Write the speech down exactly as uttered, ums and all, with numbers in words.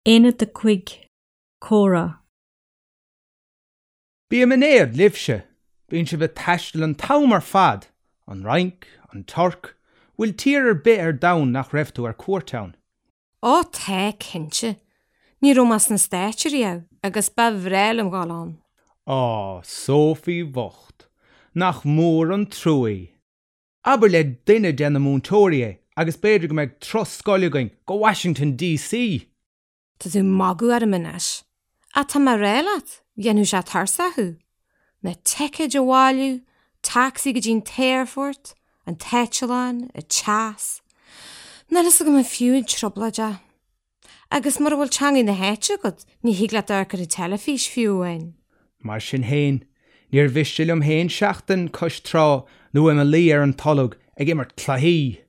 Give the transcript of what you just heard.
Aonad a cúig, Comhrá. Bím in éad libhse, bíonn sibh ag taisteal an t-am ar fad, an Fhrainc, an Tuirc, bhfuil tír ar bith ar domhan nach raibh tú ar cuairt ann. Ó tá cinnte, ní raibh mé sna Stáit riamh agus ba bhreá liom dul ann. Á, Sophie bhocht, nach mór an trua í. Abair le duine de na múinteoirí é agus b'fhéidir go mbeidh turas scoile againn go Washington DC. Tá tú ag magadh orm anois. Ach tá mé ag rá leat, dhéanfadh sé tuirseach thú. Na ticéid a bhailiú, tacsaí go dtí an t-aerfort, an t-eitleán, an teas. Níl a fhios agam an fiú an trioblóid é. Agus mura bhfuil teanga na háite agat, ní thig leat amharc ar an teilifís fiú amháin. Mar sin féin, níor mhiste liom féin seachtain cois trá nó i mo luí ar an tolg ag imirt cluichí.